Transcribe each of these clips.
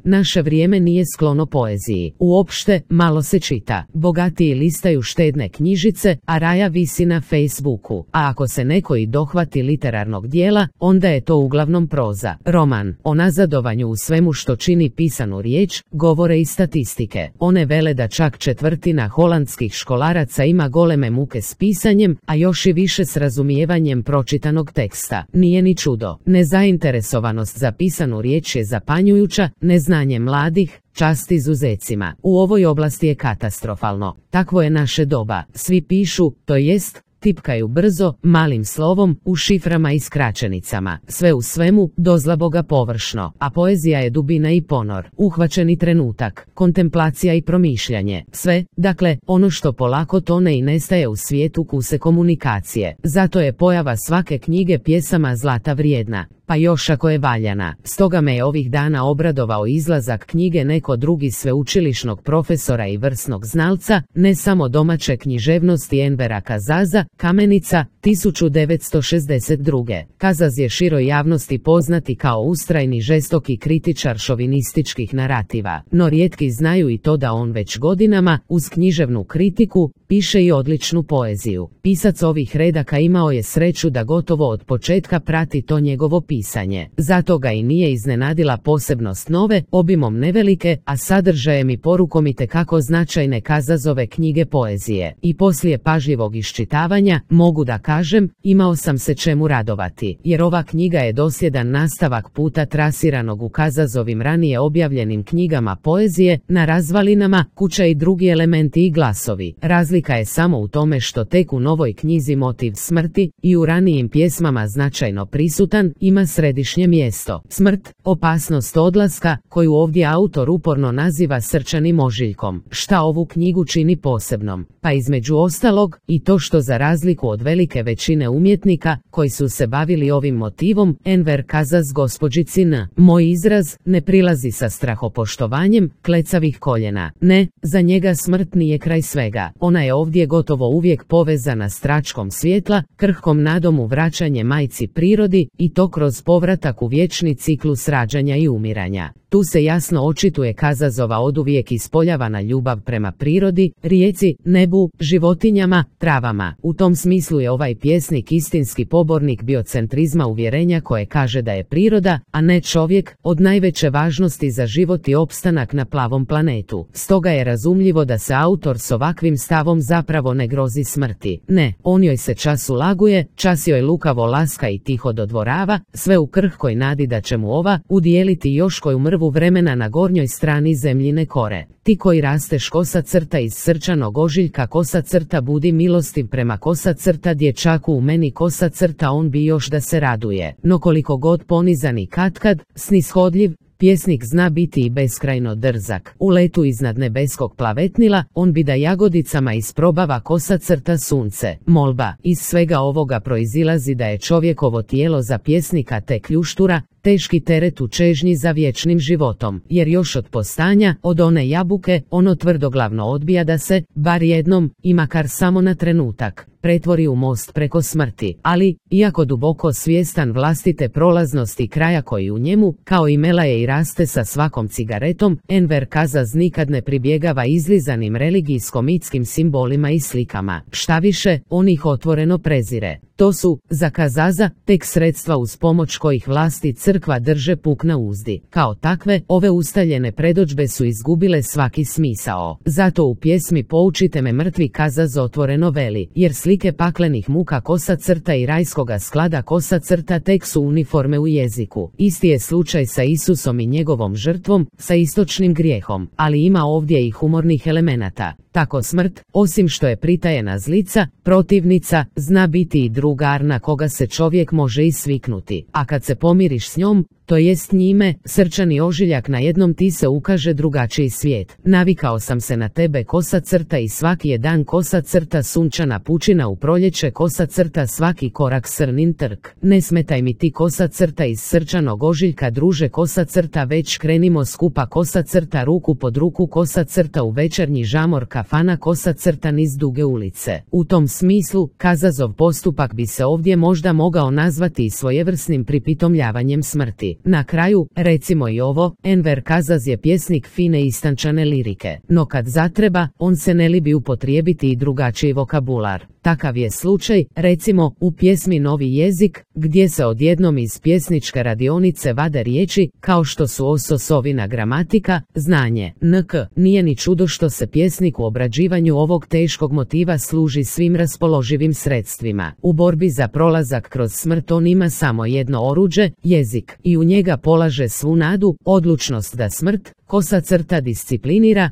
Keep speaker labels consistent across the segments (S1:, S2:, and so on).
S1: Naše vrijeme nije sklono poeziji. Uopšte, malo se čita. Bogatiji listaju štedne knjižice, a raja visi na Facebooku. A ako se neko i dohvati literarnog dijela, onda je to uglavnom proza. Roman. O nazadovanju u svemu što čini pisanu riječ, govore i statistike. One vele da čak četvrtina holandskih školaraca ima goleme muke s pisanjem, a još i više s razumijevanjem pročitanog teksta. Nije ni čudo. Nezainteresovanost za pisanu riječ je zapanjujuća, neznanje mladih, čast izuzecima. U ovoj oblasti je katastrofalno. Takvo je naše doba. Svi pišu, to jest, tipkaju brzo, malim slovom, u šiframa i skraćenicama. Sve u svemu, dozlaboga površno. A poezija je dubina i ponor. Uhvaćeni trenutak, kontemplacija i promišljanje. Sve, dakle, ono što polako tone i nestaje u svijetu kuse komunikacije. Zato je pojava svake knjige pjesama zlata vrijedna. Pa još ako je valjana. Stoga me je ovih dana obradovao izlazak knjige neko drugi sveučilišnog profesora i vrsnog znalca, ne samo domaće književnosti Envera Kazaza, Kamenica, 1962. Kazaz je široj javnosti poznati kao ustrajni žestoki kritičar šovinističkih narativa, no rijetki znaju i to da on već godinama, uz književnu kritiku, piše i odličnu poeziju. Pisac ovih redaka imao je sreću da gotovo od početka prati to njegovo pisanje. Zato ga i nije iznenadila posebnost nove, obimom nevelike, a sadržajem i porukom itekako značajne Kazazove knjige poezije. I poslije pažljivog iščitavanja, mogu da kažem, imao sam se čemu radovati, jer ova knjiga je dosljedan nastavak puta trasiranog u Kazazovim ranije objavljenim knjigama poezije, Na razvalinama, Kuća i drugi elementi i glasovi. Razlika je samo u tome što tek u novoj knjizi motiv smrti, i u ranijim pjesmama značajno prisutan, ima središnje mjesto. Smrt, opasnost odlaska, koju ovdje autor uporno naziva srčanim ožiljkom. Šta ovu knjigu čini posebnom? Pa između ostalog, i to što za razliku od velike većine umjetnika, koji su se bavili ovim motivom, Enver Kazaz gospođici N. Moj izraz, ne prilazi sa strahopoštovanjem, klecavih koljena. Ne, za njega smrt nije kraj svega. Ona je ovdje gotovo uvijek povezana s tračkom svjetla, krhkom nadom u vraćanje majci prirodi, i to kroz povratak u vječni ciklus rađanja i umiranja. Tu se jasno očituje Kazazova oduvijek ispoljavana ljubav prema prirodi, rijeci, nebu, životinjama, travama. U tom smislu je ovaj pjesnik istinski pobornik biocentrizma uvjerenja koje kaže da je priroda, a ne čovjek, od najveće važnosti za život i opstanak na plavom planetu. Stoga je razumljivo da se autor s ovakvim stavom zapravo ne grozi smrti. Ne, on joj se čas ulaguje, čas joj lukavo laska i tiho dodvorava, sve u krhkoj nadi da će mu ova udijeliti još koju mrvu vremena na gornjoj strani zemljine kore. Ti koji rasteš kosa crta iz srčanog ožiljka, kosa crta budi milostiv prema kosa crta dječaku u meni, kosa crta on bi još da se raduje. No koliko god ponizan i katkad, snishodljiv, pjesnik zna biti i beskrajno drzak. U letu iznad nebeskog plavetnila, on bi da jagodicama isprobava kosa crta sunce. Molba. Iz svega ovoga proizilazi da je čovjekovo tijelo za pjesnika tek kljuštura, teški teret u čežnji za vječnim životom, jer još od postanja, od one jabuke, ono tvrdoglavno odbija da se, bar jednom, i makar samo na trenutak, pretvori u most preko smrti. Ali, iako duboko svjestan vlastite prolaznosti kraja koji u njemu, kao i melaje i raste sa svakom cigaretom, Enver Kazaz nikad ne pribjegava izlizanim religijsko-mitskim simbolima i slikama. Štaviše, on ih otvoreno prezire. To su, za Kazaza, tek sredstva uz pomoć kojih vlasti crkva drže puk na uzdi. Kao takve, ove ustaljene predodžbe su izgubile svaki smisao. Zato u pjesmi Poučite me mrtvi Kazaz otvoreno veli, jer slike paklenih muka kosa crta i rajskoga sklada kosa crta tek su uniforme u jeziku. Isti je slučaj sa Isusom i njegovom žrtvom, sa istočnim grijehom, ali ima ovdje i humornih elemenata. Tako smrt, osim što je pritajena zlica, protivnica, zna biti i drugar na koga se čovjek može i sviknuti. A kad se pomiriš s njom, to jest njime, srčani ožiljak, na jednom ti se ukaže drugačiji svijet. Navikao sam se na tebe kosa crta i svaki je dan kosa crta sunčana pučina u proljeće kosa crta svaki korak srnin trk. Ne smetaj mi ti kosa crta iz srčanog ožiljka druže kosa crta već krenimo skupa kosa crta ruku pod ruku kosa crta u večernji žamor kafana kosa crta niz duge ulice. U tom smislu, Kazazov postupak bi se ovdje možda mogao nazvati i svojevrsnim pripitomljavanjem smrti. na kraju, recimo i ovo, Enver Kazaz je pjesnik fine istančane lirike, no kad zatreba, on se ne libi upotrijebiti i drugačiji vokabular. Takav je slučaj, recimo, u pjesmi Novi jezik, gdje se odjednom iz pjesničke radionice vade riječi, kao što su ososovina gramatika, znanje, nk. Nije ni čudo što se pjesnik u obrađivanju ovog teškog motiva služi svim raspoloživim sredstvima. U borbi za prolazak kroz smrt on ima samo jedno oruđe, jezik, i u njega polaže svu nadu, odlučnost da smrt, kosa crta disciplinira,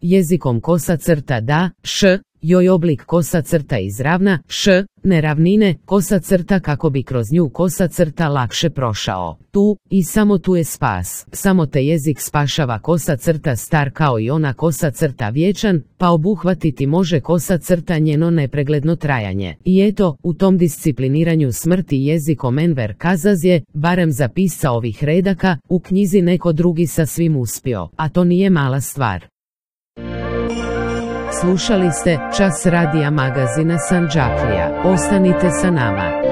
S1: jezikom kosa crta da, joj oblik kosa crta izravna, neravnine, kosa crta kako bi kroz nju kosa crta lakše prošao. Tu, i samo tu je spas, samo te jezik spašava kosa crta star kao i ona kosa crta vječan, pa obuhvatiti može kosa crta njeno nepregledno trajanje. I eto, u tom discipliniranju smrti jezikom Enver Kazaz je, barem za pisca ovih redaka, u knjizi neko drugi sa svim uspio, a to nije mala stvar. Slušali ste Čas radija magazina Sandžaklija. Ostanite sa nama.